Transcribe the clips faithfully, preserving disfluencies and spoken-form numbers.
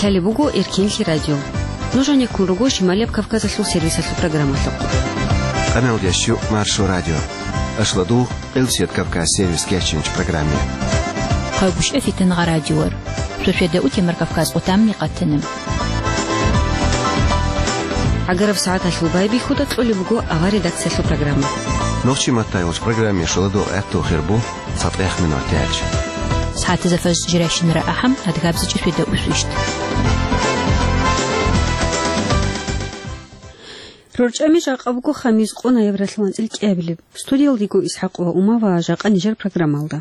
Лъалеб буго Эркенлъи радио. Нуж гьанеккун руго Шималияб Кавказалъул сервисалъул программалъухъ. Къаналдияс щу Маршо радио. Ашладу Элсият Кавказ сервис кечинч программе. Хъайбушев Фитнагъа радиор. Суседа утемар Кавказ отамни къатана. ГӀагараб сагӀаталъул байбихьуда кьолеб буго авар редакциялъул программа. Нохчи маттайгъуш программе шуладу гӀатту хирбу. ЦатӀех минут тяч. СагӀатазда фажр жиращинара ахӀам, адгабзичӀи светда усвищт. РорчӀами жакъа буго хамис къо ноябралъул анцӀил кӀиабилеб. Студиялдего ИсхӀакъ ва Умава жакъа нижер программалда.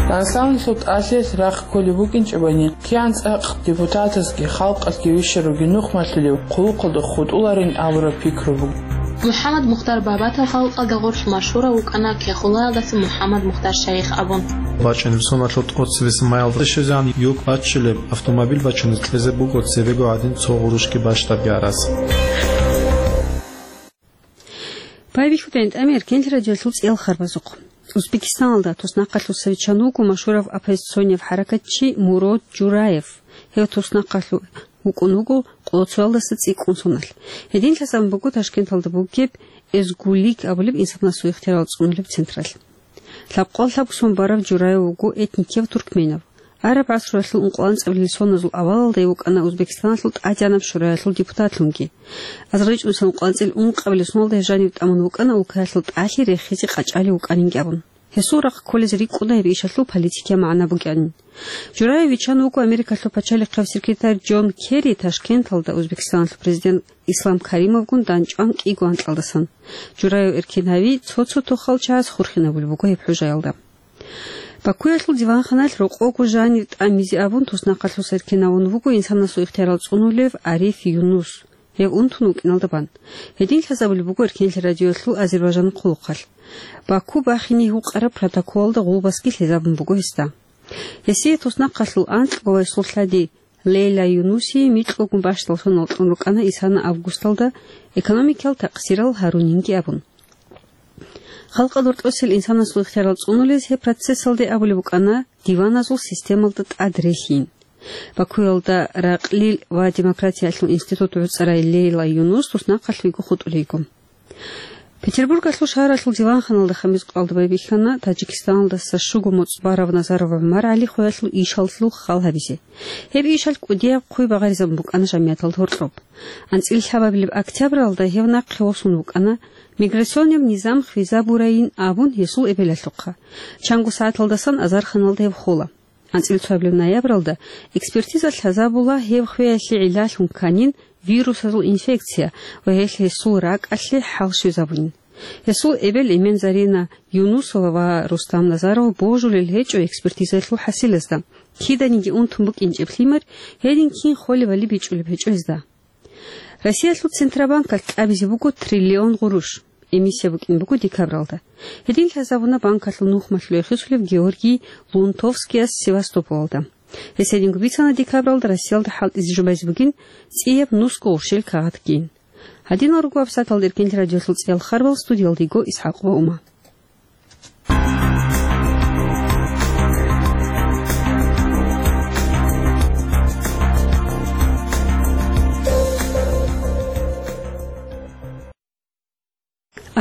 Дагъистаналъул тӀалъиялъ рахъ кколеб букӀинчӀебани, кигӀан цӀакъ депутатазги халкъалъги вищаравги нух малъулев хъулухъалда хутӀуларин абураб пикру буго. МухӀаммад Мухтар Бабатал халкъалда гъорлъ машгьурав вукӀана Кехулаялдаса МухӀаммад Мухтар Шайих абун. БачӀунеб соналъул тӀоцебесеб майялда щвезегӀан юк баччулеб автомобиль бачунеб кьезе буго цебего гьадин цо гъурущги бащдабги арас. Байбихьудайин тӀами Эркенлъи радиолъул цӀиял харбазухъ. Узбекистаналда туснахъалъуса виччан вуго машгьурав оппозиционнив хӀаракатчи Мурод Жураев. Гьев туснахъалъув вукӀун вуго къолоцоялдаса цӀикӀкӀун соналъ. Гьедин лъазабун буго Ташкенталда бугеб Эзгулик абулеб инсанасул ихтиярал цӀунулеб централъ. Лъабкъоялда лъабго сон барав Жураев вуго этникияв туркменав. ГӀараб гӀасруялъул ункъоялда анцӀабилел соназул авалалда гьев вукӀана Узбекистаналъул ТӀадегӀанаб шураялъул депутатлъунги. Азарилъ ункъоялда анцӀил ункъабилел соналда гьев жанив тӀамун вукӀана улкаялъул тӀалъи рехизе къачӀалев вукӀанинги абун. Гьесул рахъ кколез рикӀкӀуна гьеб ишалъул политикиял магӀна бугеанин. Жураев виччан вуго Америкалъул пачалихъав секретарь Джон Керри Ташкенталда Узбекистаналъул президент Ислам Каримовгун дандчӀван кӀиго анкьалдасан. Жураев эркин гьави, цо-цо тохал чагӀаз хурхинабулеб буго гьеб хӀужаялда. Бакуялъул диванханалъ рокъого жанив тӀамизе абун туснахъалъуса эркин гьавун вуго инсанасул ихтиярал цӀунулев Ариф Юнус. Гьев унтун вукӀиналда бан. Гьедин лъазабулеб буго Эркенлъи радиоялъул Азербайжан хъулухъалъ. Баку бахине гьукъараб протоколалда гъулбасги лъезабун буго гьесда. Гьесие туснахъалъул анкьго вайсул лъади Лейла Юнусие микьгогун бащдал соналъ кьун рукӀана исана августалда экономикиял такъсирал гьарунинги абун. Халкъалда гьоркьосел инсанасул ихтиярал цӀунулез гьеб процессалде абулеб букӀана диваназул системалда тӀад релълъин. Бакуялда ракълил ва демократиялъул институт гӀуцӀарай Лейла Юнус туснахъалъ виго хутӀулейго. Петербургалъул шагьаралъул диванханалда хамис къоялда байбихьана Таджикистаналдаса щуго моцӀ барав Назаров ГӀумар ГӀали хвеялъул ишалъул хал гьабизе. Гьеб ишалъ кӀудияб хъуй багъаризабун букӀана жамияталда гьоркьоб. АнцӀила лъабабилеб октябралда гьев нахъе восун вукӀана, миграционнаб низам хвезабурайин абун гьесул эбелалъухъа. Чанго сагӀаталдасан азарханалда гьев хола. АнцӀила цоабилеб ноябралда экспертиза лъазабула гьев хвеялъе гӀиллалъун кканин вирусазул инфекция ва гьелъ гьесул ракӀалъе хӀал щвезабунин. Гьесул эбел-эмен Зарина Юнусова ва Рустам Назаров божулел гьечӀо экспертизаялъул хӀасилазда. Киданиги унтун букӀинчӀеб лъимер, гьедин кин холебали бичӀчӀулеб гьечӀо гьезда. Россиялъул Центробанкалъ кьабизе буго триллион гъурущ. Эмиссия букӀин буго декабралда. Гьедин лъазабуна банкалъул нухмалъул рехсолев Георгий Лунтовскияс Севастополалда. Гьес гьединго бицана декабралда Россиялда хӀалтӀизе жубазе бугин цӀияб нусго гъурщел кагъатгин. Гьадинал руго абсаталда Эркенлъи радиолъул цӀиял харбал, студиялдего ИсхӀакъ ва Ума.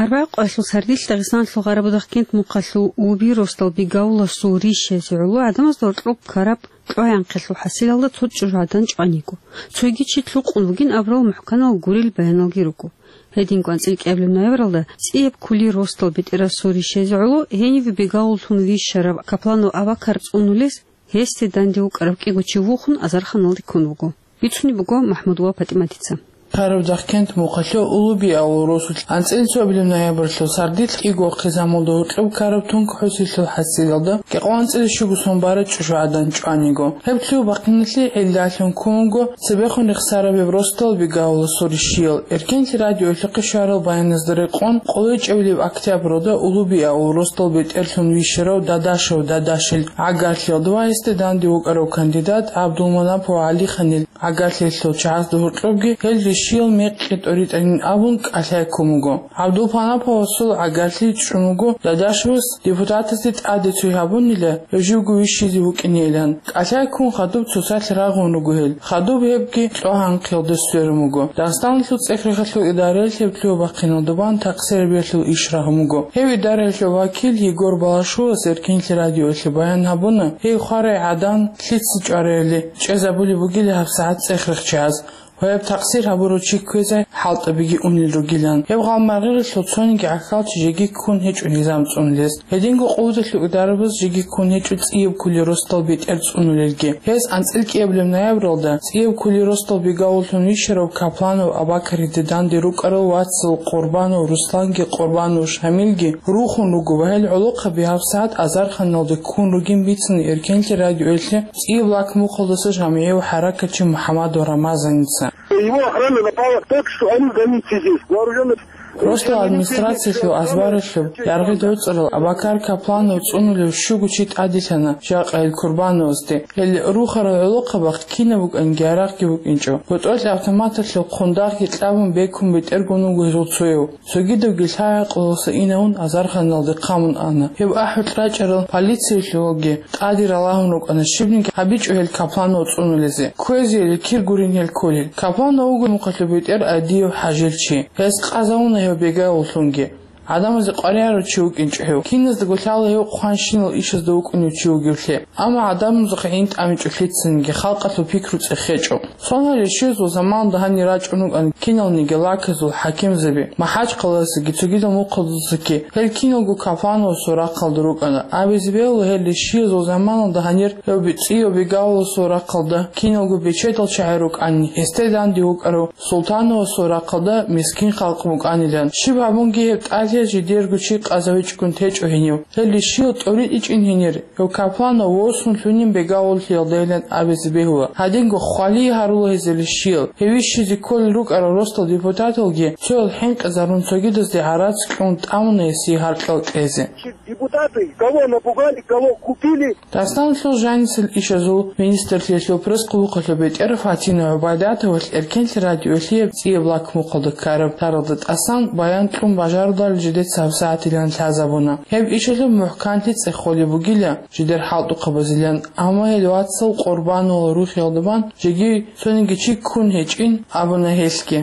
Арбагъ къоялъул сардилъ Дагъистаналъул Гъарабудахъ кент мухъалъул Улуби росдал Бегавуласул рищазе гӀоло гӀадамазда гьоркьоб ккараб кьваянхъелъул хӀасилалда цо чӀужугӀадан чӀван йиго. Цоги чи лъукъун вугин абурал мухӀканал гурел баяналги руго. Гьединго анцӀила кӀиабилеб ноябралда цӀияб ккули росдал бетӀерасул рищазе гӀоло гьенив Бегавуллъун вищарав Капланов Абакар цӀунулес гьесде данде вукӀарав кӀиго чи вухун азарханалде ккун вуго. Бицунеб буго МахӀмудова ПатӀиматица. Гъарабудахъ кент мухъалъул Улуби авул росулъ анцӀила цоабилеб ноябралъул сардилъ кӀиго хъизамалда гьоркьоб ккараб тункӀ хӀусилъул хӀасилалда кӀикъоялда анцӀила щуго сон бараб чӀужугӀадан чӀван йиго. Гьеб лъугьа-бахъиналъе гӀиллалъун ккун вуго цебехун рехсараб гьеб росдал Бегавуласул рищиял. Эркенлъи радиоялъухъе щварал баяназда рекъон, къоло чӀебилеб октябралда Улуби авул росдал бетӀерлъун вищарав Дадашев Дадашил гӀагарлъиялда ва гьесде данде вукӀарав кандидат ГӀабдулманапов ГӀалиханил гӀагарлъиялъул чагӀазда гьоркьобги гьел щиял мекъи тӀоритӀанин абун кӀалъай ккун буго. ГӀабдулпанаповасул гӀагарлъи чӀун буго Дадашевас депутатазде тӀаде цой гьабунила, гьев живго вищизе вукӀинейилан. КӀалъай ккун хадуб цоцалъ рагъун руго гьел. Хадуб гьебги кьогьанхъиялда сверун буго. Дагъистаналъул цӀех-рехалъул идараялъ гьеб лъугьа-бахъиналда бан такъсир гьабиялъул иш рагьун буго. Гьеб идараялъул вакил Егор Балашовас Эркенлъи радиоялъе баян гьабуна, гьей хварай гӀадан лъица чӀварайилан чӀезабулеб бугила гьабсагӀат цӀех-рехчияз. Гьеб такъсир гьабурав чи кквезе хӀалтӀабиги унел ругилан. Гьеб гъалмагърилалъул цониги гӀахьалчи жеги ккун гьечӀо низам цӀунулес. Гьединго къулдалъул идарабаз жеги ккун гьечӀо цӀияб кколел росдал бетӀер цӀунулелги. Гьез анцӀила кӀиабилеб ноябралда цӀияб кколел росдал бегавуллъун вищарав Капланов Абакариде данде рукӀарал вацал Къурбанов Русланги Къурбанов Шамилги рухун руго ва гьел гӀолохъаби гьабсагӀат азарханалда ккун ругин бицина Эркенлъи радиоялъе цӀияб лакмухъалдаса жамгӀияв хӀаракатчи МухӀамадов Рамазаница. Его охрана напала так, что они границы здесь, вооружённых. Росдал администрациялъул азбаралъуб яргъи доцӀарал Абакар Капланов цӀунулев щуго чи тӀаделъана жакъа гьел Курбановасде. Гьел рухарал гӀолохъабахъ кинаб букӀанги гьарахъги букӀинчӀо. БутӀрулъ автоматалъул хъундагъги кьабун бекун бетӀергун вуго гьезул цояв. Цогидавги лъай-гӀакълуялдаса инавун азарханалде хъамун ана. Гьеб ахӀулъ рачӀарал полициялъулги тӀаде ралагьун рукӀана щибниги гьабичӀо гьел Капланов цӀунулезе. Кквезейилан кир гурин гьел кколел. Капланов вуго мухъалъуб бетӀер Адиев ХӀажил чи. Гьес къазавуна гьев бегавуллъунги. ГӀадамазе къваригӀарав чи вукӀинчӀо гьев. Киназдаго лъала гьев хъванщинал ишазда вукӀунев чи вугевлъи. Амма гӀадамазухъе гӀин тӀамичӀо лъицаниги, халкъалъул пикру цӀехечӀо. Соналъ щвезул заманалда гьанир рачӀун рукӀана киналниги лаказул хӀакимзаби, МахӀачхъалаялдасаги цогидал мухъалдасаги. Гьел киналго Каплановасул рахъалда рукӀана. Абизе бегьула, гьел щиязул заманалда гьанир гьев цӀияб бегавуласул рахъалда киналго бечедал чагӀи рукӀанин, гьесде данде вукӀарав Султановасул рахъалда мискин халкъ букӀанилан. Щиб гьабунги гьеб тӀалъи жидерго чи къазавичӀогун течӀо гьенив. Гьел щиял тӀоритӀичӀин гьенир, гьев Капланов восун лъунин бегавуллъиялдайилан абизе бегьула. Гьадинго хвалие гьарула гьезул щиял. Гьев вищизе кколел рукӀарал росдал депутаталги цоял хӀинкъизарун цогидазде гӀарац кьун тӀамуна гьесие гьаркьал кьезе. Депутаты, кого напугали, кого купили. Дагъистаналъул жанисел ишазул министрлъиялъул пресс-къулухъалъуб бетӀер Фатина ГӀубайдатовалъ Эркенлъи радиоялъе цӀияб лакмухъалда ккараб таралда тӀасан баян кьун бажаруларел жидеца гьабсагӀатилан лъазабуна. Гьеб ишалъуб мухӀканлъи цӀехолеб бугила жидер хӀалтӀухъабазилан, амма гьел вацал Къурбановал рухиялда бан жеги цониги чи ккун гьечӀин абуна гьелъги.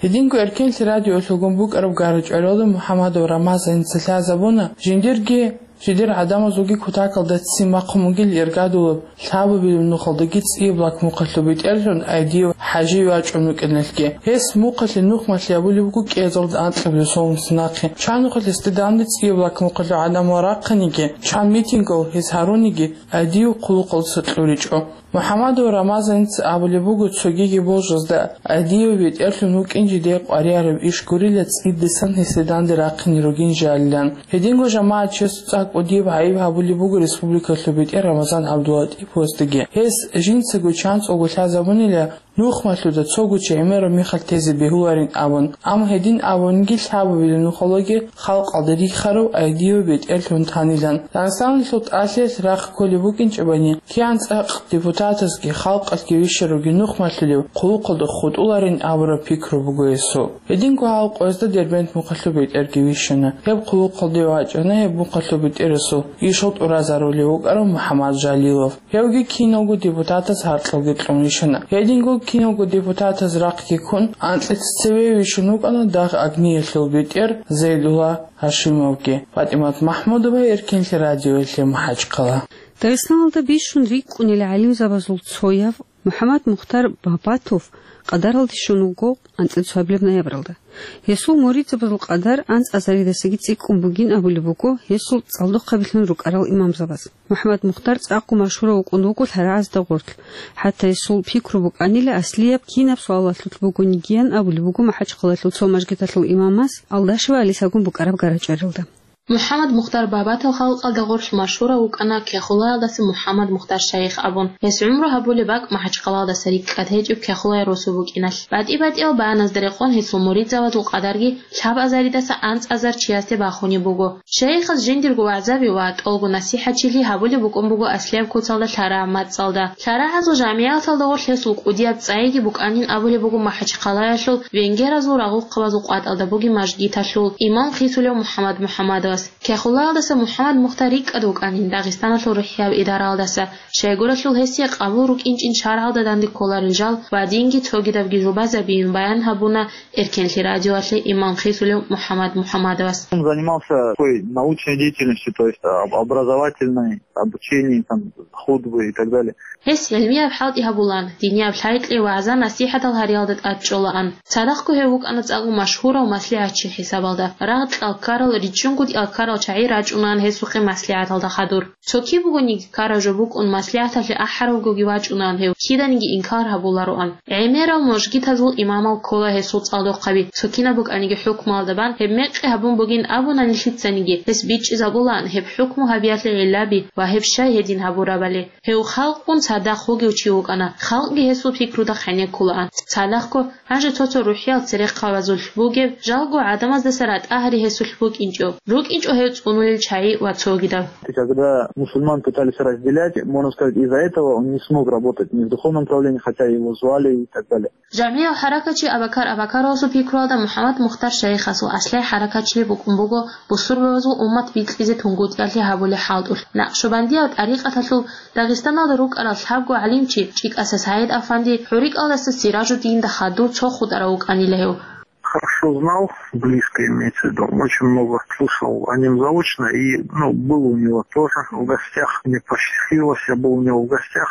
Гьединго Эркенлъи радиоялъулгун букӀараб гара-чӀваралда МухӀамадов Рамазаница лъазабуна, жиндирги жидер гӀадамазулги кутакалда ццин бахъун бугил иргадулаб лъабабилеб нухалдаги цӀияб лакмухъалъуб бетӀерлъун Айдиев ХӀажи вачӀун вукӀиналъги. Гьес мухъалъе нухмалъи абулеб буго кӀиазарда анкьабилеб соналъ нахъе. Чан нухалъ гьесде данде цӀияб лакмухъалъул гӀадамал рахъаниги, чан митингал гьес гьаруниги, Айдиев хъулухъалдаса кьуричӀо. МухӀамадов Рамазаница абулеб буго, цогиги божазда Айдиев бетӀерлъун вукӀин жидее къваригӀараб иш гурила цӀидасан гьесде данде рахъине ругин жалилан. Гьединго жамагӀатчиясул цӀакъ кӀудияб гӀайиб гьабулеб буго республикалъул бетӀер Рамазан ГӀабдулатӀиповасдаги. Гьес жинцаго чанцӀалго лъазабунила нухмалъуда цого чи гӀемераб мехалъ тезе бегьуларин абун. Амма гьедин абуниги лъабабилеб нухалдаги халкъалда рихарав Айдиев бетӀерлъун танилан. Дагъистаналъул тӀалъиялъ рахъ кколеб букӀинчӀебани, кигӀан цӀакъ депутатазги халкъалъги вищаравги нухмалъулев хъулухъалда хутӀуларин абураб пикру буго гьесул. Гьединго гьал къоязда Дербент мухъалъуб бетӀерги вищана. Гьеб хъулухъалде вачӀана гьеб мухъалъуб бетӀерасул ишал тӀуразарулев вукӀарав МухӀаммад Жалилов. Гьевги киналго депутатаз гьаркьалги кьун вищана. Гьединго киналго депутатаз рахъги ккун, анкьица цеве вищун вукӀана дагъ Агниялъул бетӀер Зайдулла Гьашимовги. ПатӀимат МахӀмудова, Эркенлъи радиоялъе, МахӀачхъала. Дагъистаналда бищун рикӀкӀунел гӀалимзабазул цояв МухӀаммад Мухтар Бабатов къадаралде щун вуго анцӀила цоабилеб ноябралда. Гьесул муридзабазул къадар анцӀазаридасаги цӀикӀкӀун бугин абулеб буго гьесул цӀалдохъабилъун рукӀарал имамзабаз. МухӀаммад Мухтар цӀакъго машгьурав вукӀун вуго лъарагӀазда гъорлъ. ХӀатта гьесул пикру букӀанила аслияб кинаб суалалъулъ бугонигиян абулеб буго МахӀачхъалалъул цо мажгиталъул имамас Алдашева Алисагун букӀараб гара-чӀваралда. МухӀаммад Мухтар Бабатов халкъалда гъорлъ машгьурав вукӀана Кехулаялдаса МухӀаммад Мухтар шайих абун. Гьес гӀумру гьабулеб бакӀ МахӀачхъалаялдаса рикӀкӀад гьечӀеб Кехулай росу букӀиналъ. БатӀи-батӀиял баяназда рекъон гьесул муридзабазул къадарги лъабазаридаса анцӀазар чиясде бахунеб буго. Шайихас жиндирго вагӀзаби ва тӀолго насихӀатчили гьабулеб букӀун буго аслияб куцалда лъарагӀаб мацӀалда. ЛъарагӀазул жамигӀаталда гъорлъ гьесул кӀудияб цӀайги букӀанин абулеб буго МахӀачхъалаялъул венгеразул рагъухъабазул къватӀалда бугеб мажгиталъул имам хисулев МухӀаммад МухӀаммадовас. Кехулаялдаса МухӀаммад Мухтар рикӀкӀад вукӀанин Дагъистаналъул рухӀияб идараялдаса, щайгуралъул гьесие къабул рукӀинчӀин шаргӀалда данде кколарел жал ва динги цогидабги жубазабиин баян гьабуна Эркенлъи радиоялъе имам хисулев МухӀаммад МухӀаммадовас. Он занимался такой научной деятельностью, то есть об-, образовательной, обучением, там, хутбы и так далее. Гьес гӀилмияб хӀалтӀи гьабулаан, динияб лъай-кьей вагӀза-насихӀатал гьариялда тӀад чӀолаан. Цадахъго гьев вукӀана цӀакъго машгьурав маслигӀатчи хӀисабалда. Рагъ кьалккарал, ричӀчӀунго кьалккарал чагӀи рачӀунаан гьесухъе маслигӀаталда хадур. Цо киб бугониги ккарав жо букӀун, маслигӀаталъе ахӀаравгоги вачӀунаан гьев, киданиги инкар гьабулароан. ГӀемерал мажгитазул имамал ккола гьесул цӀалдохъаби, цо кинаб букӀаниги хӀукмуялда бан гьеб мекъи гьабун бугин абуна нилъицаниги, гьес бичӀчӀизабулаан гьеб хӀукму гьабиялъе гӀиллаби ва гьеб щай гьедин гьабурабали. Гьев халкъгун цадахъ вугев чи вукӀана, халкъги гьесул пикруда хъенеккулаан. Цадахъго, гьанже цо-цо рухӀиял церехъабазулъ бугеб, жалго гӀадамаздаса ратӀа гьари гьесулъ букӀинчӀо. РукӀинчӀо гьев цӀунулел чагӀи ва цогидал. Когда мусульман пытались разделять, можно сказать, из-за этого он не смог работать ни в духовном направлении, хотя его звали и так далее. ЖамигӀиял хӀаракатчи Абакар Абакаровасул пикруялда МухӀаммад Мухтар шайихасул аслай хӀаракатчилъи букӀун буго бусурбабазул уммат бикьизе тунгутӀиялъе гьабулеб хӀалтӀулъ. Накъшубандиял тӀарикъаталъул Дагъистаналда рукӀарал лъабго гӀалимчи ЧӀикӀаса СагӀид-афанди, ХӀурикӀалдаса Сиражуддинда хадув цо хутӀарав вукӀанила гьев. Хорошо знал, близко имеется в виду, очень много слышал о нем заочно, и, ну, был у него тоже в гостях, мне посчастливилось, я был у него в гостях.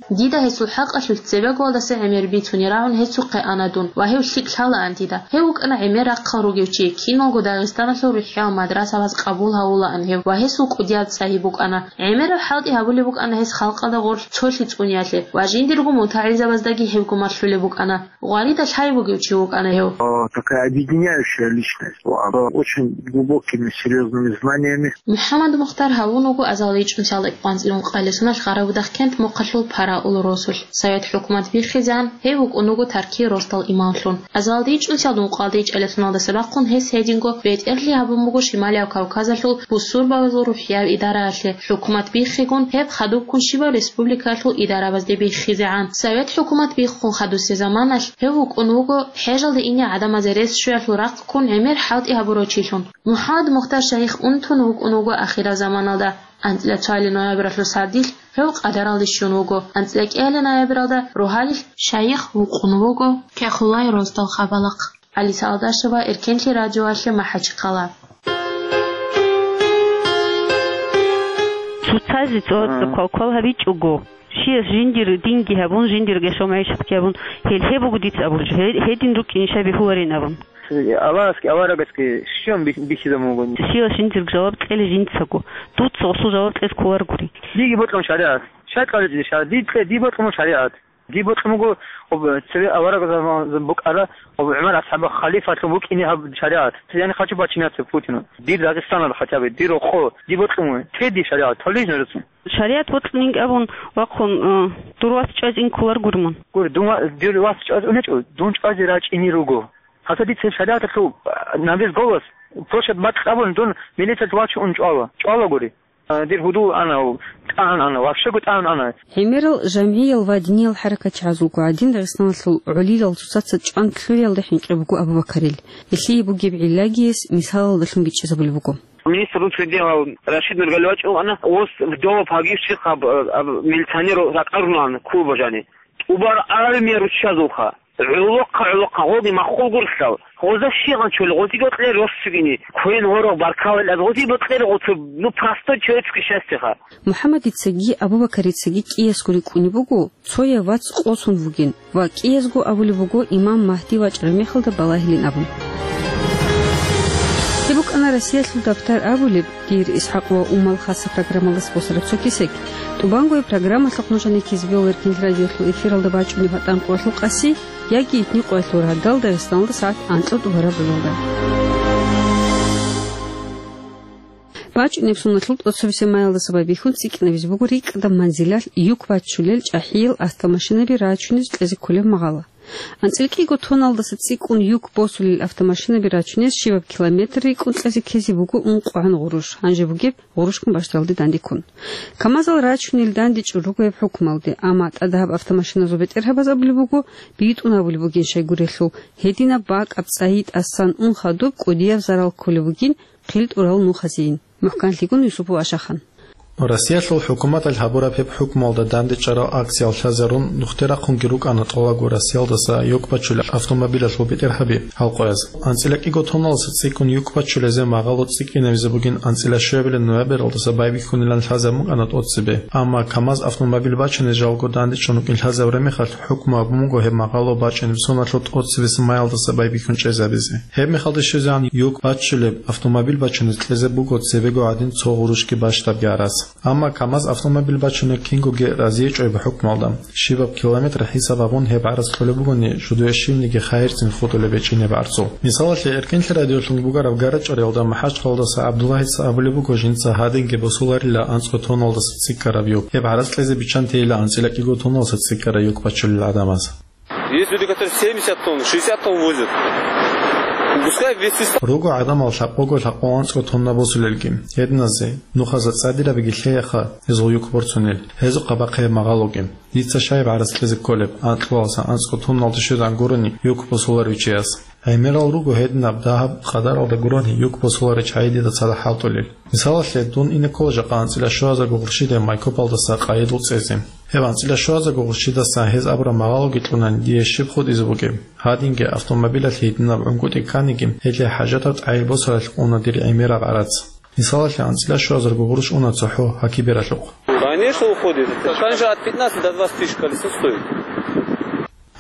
Дида гьесул хӀакъалъулъ цебегоялдаса гӀемер бицунеб рагӀун гьесухъе ана дун ва гьев лъикӀ лъалаан дида. Гьев вукӀана гӀемер рахъал ругев чи, киналго Дагъистаналъул рухӀиял мадрасабаз къабул гьавулаан гьев ва гьесул кӀудияб цӀайи букӀана. ГӀемераб хӀалтӀи гьабулеб букӀана гьес халкъалда гъорлъ цолъи цӀуниялъе ва жиндирго мутагӀилзабаздаги гьевго малъулеб букӀана. Гъварида лъай бугев чи вукӀана гьев. А, такая объединяющая личность была, очень глубокими, серьёзными знаниями. МухӀаммад Мухтар гьавун вуго азалда ичӀнусиялда кӀикъоялда анцӀила ункъабилеб соналъ Гъарабудахъ кент Мухъалъул Параулу росулъ. Совет хӀукумат биххизегӀан гьев вукӀун вуго Таркие росдал имамлъун. Азалда ичӀнусиялда ункъабилеб соналдаса бахъун гьес гьединго бетӀерлъи гьабун буго Шималияб Кавказалъул бусурбабазул рухӀияб идараялъе, хӀукумат биххигун, гьеб хадубккун щибаб республикаялъул идарабазде биххизегӀан. Совет хӀукумат биххун хадусеб заманалъ гьев вукӀун вуго хӀежалде ине гӀадамазе рес щвеялъул рахъ ккун гӀемер хӀалтӀи гьабурав чилъун. МухӀаммад Мухтар шайих унтун вукӀун вуго ахираб заманалда. АнцӀила цоялил ноябралъул сардилъ гьев къадаралде щун вуго. АнцӀила кӀиялил ноябралда рогьалилъ шайих вукӀун вуго Кехулай росдал хабалахъ. Алиса Алдашева, Эркенлъи радиоялъе, МахӀачхъала. Цоцазе цо-, А. квалквал гьабичӀого, щияс жиндир динги гьабун, жиндир гьешо-магӀишатги гьабун, гьел гьеб буго дица абулеб жо, гье-, гьедин рукӀин ишай бихьуларин абун. Аллагьасги аварагасги щиб бих-, бихьизабун буго? Щияс жиндир жаваб кьела жинцаго, дуца гъосул жаваб кьезе кколаргури. Диги бокьун шаригӀат. Щай кьаличӀеб шаригӀат? Ди кье, ди бокьун шаригӀат. Ди бокьун буго, об, цеве авараг заман букӀара, об, ГӀумар асхӀаб халифалъун букӀине гьаб шаригӀат. Я не хочу подчиняться Путину. Дир Дагъистаналда хотя бы, дир рокъо, ди бокьун буго. Те ди шаригӀат, толижно рацун. ШаригӀат бокьунин абун вахъун, э, дур вас чӀвазе ин кколаргури мун. Гур, дун ва-, дир вас чӀвазе унечӀо, дун чӀвазе рачӀине руго. Гьаса дица шаригӀаталъул, э, на весь голос, площадь бакьабун, дун милициялъ вачун чӀвала. ЧӀвалагури. Дир гьудул ана, тӀагӀун ана, вообще-го тӀагӀун ана. ГӀемерал жамгӀиял ва диниял хӀаракатчагӀазулго гӀадин Дагъистаналъул гӀолилал цоцаца чӀван лъугӀиялда хӀинкъи буго Абу-Бакарил. Гьелъие бугеб гӀиллагияс мисалалдалъун бичӀчӀизабулеб буго. Министр внутренних дел Рашид Нургалиевич вукӀана, ос вдова погибших аб-, аб-, милиционер ракӀарулаан клуба жани. ТӀубар армия руччазулха. ГӀолохъа-гӀолохъа гъоги маххул гурлъал, гъоза щигъан чули, гъозиги бокье рос цогини, квен гьорох баркалла, гъозиги бокье гъоцо, ну, простой человеческое счастье-ха. МухӀаммадицаги Абу-Бакарицаги кӀиясго рикӀкӀунеб буго, цояв вац къосун вугин ва кӀиязго абулеб буго имам Магьди вачӀараб мехалда балагьилин абун. Гьеб букӀана Россиялъул дабтар абулеб. Дир ИсхӀакъ ва Умал хасаб программалдаса босараб цо кесек. ТӀубанго гьеб программалъухъ нуж гьанир ккезе бегьула Эркин радиоялъул эфиралда бачӀунеб гьатӀан къоялъул къаси яги итни къоялъул рагъдалда Дагъистаналда сагӀат анкьа тӀубараб журналда. БачӀунеб соналъул тӀоцебесеб майялдаса байбихьун цӀикӀкӀинабизе буго рикӀкӀадаб манзилалъ юк баччулел чӀахӀиял автомашинаби рачунез кьезе кколеб магъало. АнцӀила кӀиго тонналдаса цӀикӀкӀун юк босулел автомашинаби рачунез щибаб километр рикӀкӀун кьезе ккезе буго ункъгӀан гъурущ, гьанже бугеб гъурущгун бащдалде данде ккун. КамАЗал рачунел дандечӀун руго гьеб хӀукмалде, амма тӀадагьаб автомашиназул бетӀергьабаз абулеб буго, битӀун гьабулеб бугин щайгурелъул, гьединаб бакӀаб цӀайи тӀасан ун хадуб кӀудияб зарал кколеб бугин хъил тӀурал нухазейин. МухӀканлъигун Юсупов Ашахан. Россиялъул хӀукуматалъ гьабураб гьеб хӀукмуялда дандечӀарал акциял лъазарун нухде рахъунги рукӀана тӀолабго Россиялдаса юк баччулел автомобилалъул бетӀергьаби гьал къояз. АнцӀила кӀиго тонналдаса цӀикӀкӀун юк баччулезе магъало цӀикӀкӀинабизе бугин анцӀила щуабилеб ноябралдаса байбихьунилан лъазабун букӀана тӀоцебе, амма КамАЗ автомобил бачунез жалго дандечӀун рукӀин лъазабураб мехалъ, хӀукму гьабун буго гьеб магъало бачӀунеб соналъул тӀоцебесеб майялдаса байбихьун чӀезабизе. Гьеб мехалде щвезегӀан юк баччулеб автомобил бачунез кьезе буго цебего гӀадин цо гъурущги бащдабги гӀарац. Амма КамАЗ автомобил бачунеб кингоги разиячӀо гьеб хӀукмуялда. Щибаб километр хӀисаб гьабун гьеб гӀарац кьолеб бугони, жидее щибниги хайирцин хутӀулеб гьечӀин гьеб гӀарцул. Мисалалъе, Эркенлъи радиолъун бугеб гарачӀариялда МахӀачхъалаялдаса ГӀабдуллагьица абулеб буго жинца гьадинги босуларила анцӀго тонналдаса цӀикӀкӀараб юк. Гьеб гӀарац кьезе биччан тейила анцӀила кӀиго тонналдаса цӀикӀкӀараб юк бачулел гӀадамаз. Есть люди, которые семьдесят тонн, шестьдесят тонн возят. Пускай вместе с... Руго гӀадамал лъабкъого-лъабкъо анцӀго тонна босулелги. Гьединазе нухазда цӀадирабиги лъеяха гьезул юк борцунел, гьезухъа бахъе магъалоги. Дица щай гьеб гӀарац кьезе кколеб, анкьалдаса анцӀго тонналде щвезегӀан гурони юк босуларев чияс. ГӀемерал руго гьединаб дагьаб къадаралда гурони юк босуларев чагӀи дида цадахъ хӀалтӀулел. Мисалалъе, дун ине ккола жакъа анцӀила щугьазарго гъурущидаб Майкопалдаса Къайидул цӀезе. Гьеб анцӀила щугьазарго гъурущидаса гьез абураб магъалоги кьунани дие щиб хутӀизе бугеб? Гьадинги автомобилалъ гьединаб гӀунгутӀи кканиги, гьелъие хӀажатаб тӀагӀир босаралъ уна дир гӀемераб гӀарац. Мисалалъе, анцӀила щугьазарго гъурущ уна цохӀо гьакибералъухъ. Конечно, уходит. Там же от пятнадцати до двадцати тысяч колесо стоит.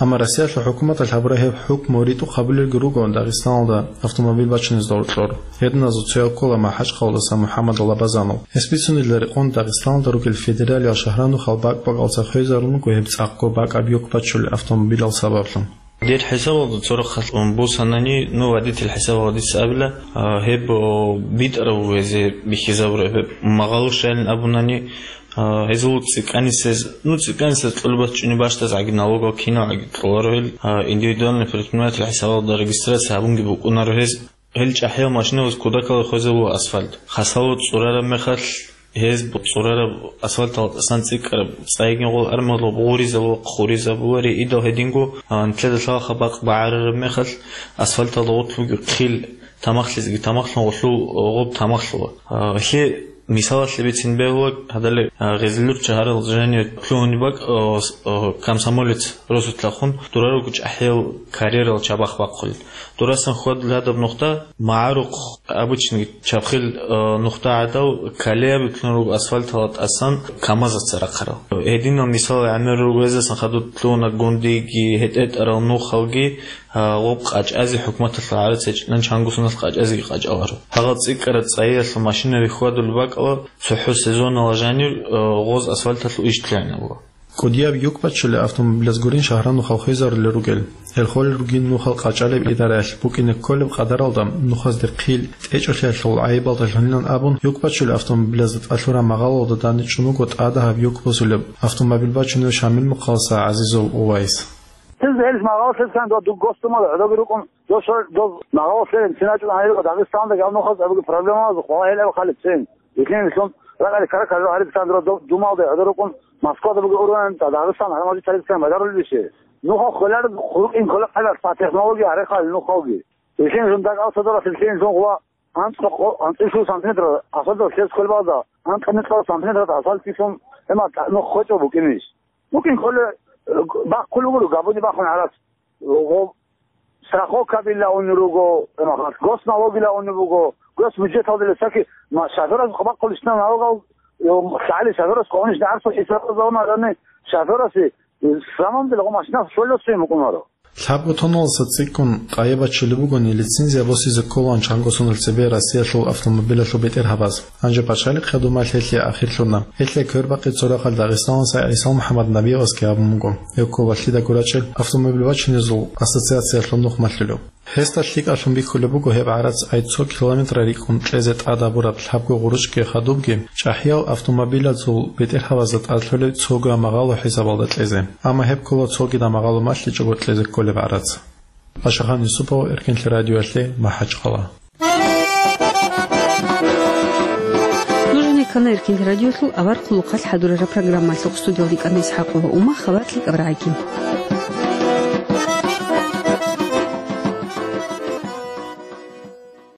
Амма Россиялъул хӀукуматалъ гьабураб гьеб хӀукму ритӀухъ гьабулелги руго Дагъистаналда автомобил бачунезда гьоркьор. Гьединазул цояв ккола МахӀачхъалаялдаса МухӀаммад Лабазанов. Гьес бицунеб рекъон Дагъистаналда ругел федералиял шагьранухъал бакӀ-бакӀалца хвезарун буго гьеб цӀакъго бакӀаб юк бачулел автомобилал сабаблъун. Дир хӀисабалда цо рахъалъ бусанани, ну, водитель хӀисабалда дица абила, а, гьеб, о, битӀарав везе бихьизабураб гьеб магъало щайилан абунани, А, гьезул цӀикӀкӀанисез, ну, цӀикӀкӀанисез кьолеб бачӀунеб бащдазгӀаги налогал киналгӀаги кьоларо гьел, а, индивидуальный предприниматель хӀисабалда регистрация гьабунги букӀунаро гьез. Гьел чӀахӀиял машинабаз кутакалда хвезабула асфальт. Хасало цӀурараб мехалъ, гьез бу-, цӀурараб асфальталда тӀасан цӀикӀкӀараб цӀайгин гъол армиялъул гъуризабула, хъуризабула, риидал гьединго, а, нилъеда лъалаха бакъ багӀарараб мехалъ, асфальталда гъорлъ бугеб хъил тамахлъизеги тамахлъун гъолъул гъоб тамахлъула. А, гьелъие Мисалалъе бицин бегьула, гьадале, а, Гъезилюрт шагьаралда жаниве лъугьунеб бакӀ, а, с-, а, комсомолец росулъахун дураруго чӀахӀиял карьерал чабахъ бахъулел. Дурасан хьвадулеб гьадаб нухда, магӀарухъ обычный чабхил, а, нухда гӀадал, колея битӀун руго асфальталда тӀасан КамАЗаца рахъарал. Гьединал мисал гӀемер руго, гьезасан хадуб лъугьуна Гундиги, гьетӀ-гьетӀарал нухалги, А, гъоб къачӀазе хӀукуматалъул гӀарац гьечӀилан чанго соналъ къачӀазеги къачӀаларо. Гьагъал цӀикӀкӀараб цӀайиялъул машинаби хьвадулеб бакӀала цохӀо сезонала жанир, а, гъоз асфальталъул иш лъугӀинабула. КӀудияб юк бачулел автомобилаз гурин шагьранухъал хвезарулел ругел. Гьел холел ругин нухал къачӀалеб идараялъ букӀине кколеб къадаралда нухазде хъил тӀечӀолъиялъул гӀайибалдалъунилан абун, юк бачулел автомобилазда тӀад лъураб магъалалда данде чӀун вуго тӀадагьаб юк босулеб автомобил бачунев Шамил мухъаласа ГӀазизов Увайс. Цинги гьелъ магъалалъе ккани дов дур госдумада гӀодоги рукӀун, дов шо-, дов магъалалъе цин рачӀун гьанирго Дагъистанда гьал нухалъ абуги проблемалазухъ валагьилаби хъали цин. Итинлъун ракӀалде ккара-ккарал гьариб ккани дов Думалда гӀодор рукӀун, Москвада бугеб ургъан Дагъистан гьармалъи тарихлъан бажарулеб иши. Нухал хвелар хуркӀин ккола хъалас, технология гьарихъал нухалги. Итинлъун дагъал содоралъе итинлъун гъуа анцӀго-, анцӀила сантиметр асфальт лъес кколебалда, анкьа микьал сантиметр асфальт кисун, гьеб нух хвечӀо букӀинищ? БукӀин кколе, э, бахъулеб гуро, габуни бахъун гьарас. Гъо-, страховкабила унел руго, гьеб мехалъ госналогила унеб буго, госбюджеталдила саки ма-, шофёрас бахъулищ налогал, э, лъагӀалил шофёрас къонищ гӀарцул хӀисабалда унарани, шофёрасе, э, самамдила гъо машина щолесуе мукӀунаро. Лъабго тонналдаса цӀикӀкӀун къайи бачулеб бугони, лицензия босизе кколаан чанго соналъ цебе Россиялъул автомобилалъул бетӀергьабаз. Гьанже пачалихъ хадуб мехалъ гьелъие ахирлъуна. Гьелъие квербакъи цо рахъалъ Дагъистаналдаса ГӀисал МухӀаммаднабиевасги абун буго, гьев ккола лъидаго рачӀел автомобил бачунезул ассоциациялъул нух малъулев. Гьесда лъикӀалъун бихьулеб буго гьеб гӀарац ай цо километр рикӀкӀун кьезе тӀадабураб лъабго гъурущги хадубги чӀахӀиял автомобилазул бетӀергьабазда тӀад лъолеб цого магъало хӀисабалда кьезе. Амма гьеб ккола цогидаб магъало малъичӀого кьезе кколеб гӀарац. Пашагьан Юсупов, Эркенлъи радиоялъе, МахӀачхъала. Нуж гьанир ккана Эркенлъи радиолъул авар хъулухъалъ хӀадурараб программалъухъ. Студиялда йикӀана ИсхӀакъова Ума, хабар лъикӀаб рагӀаги.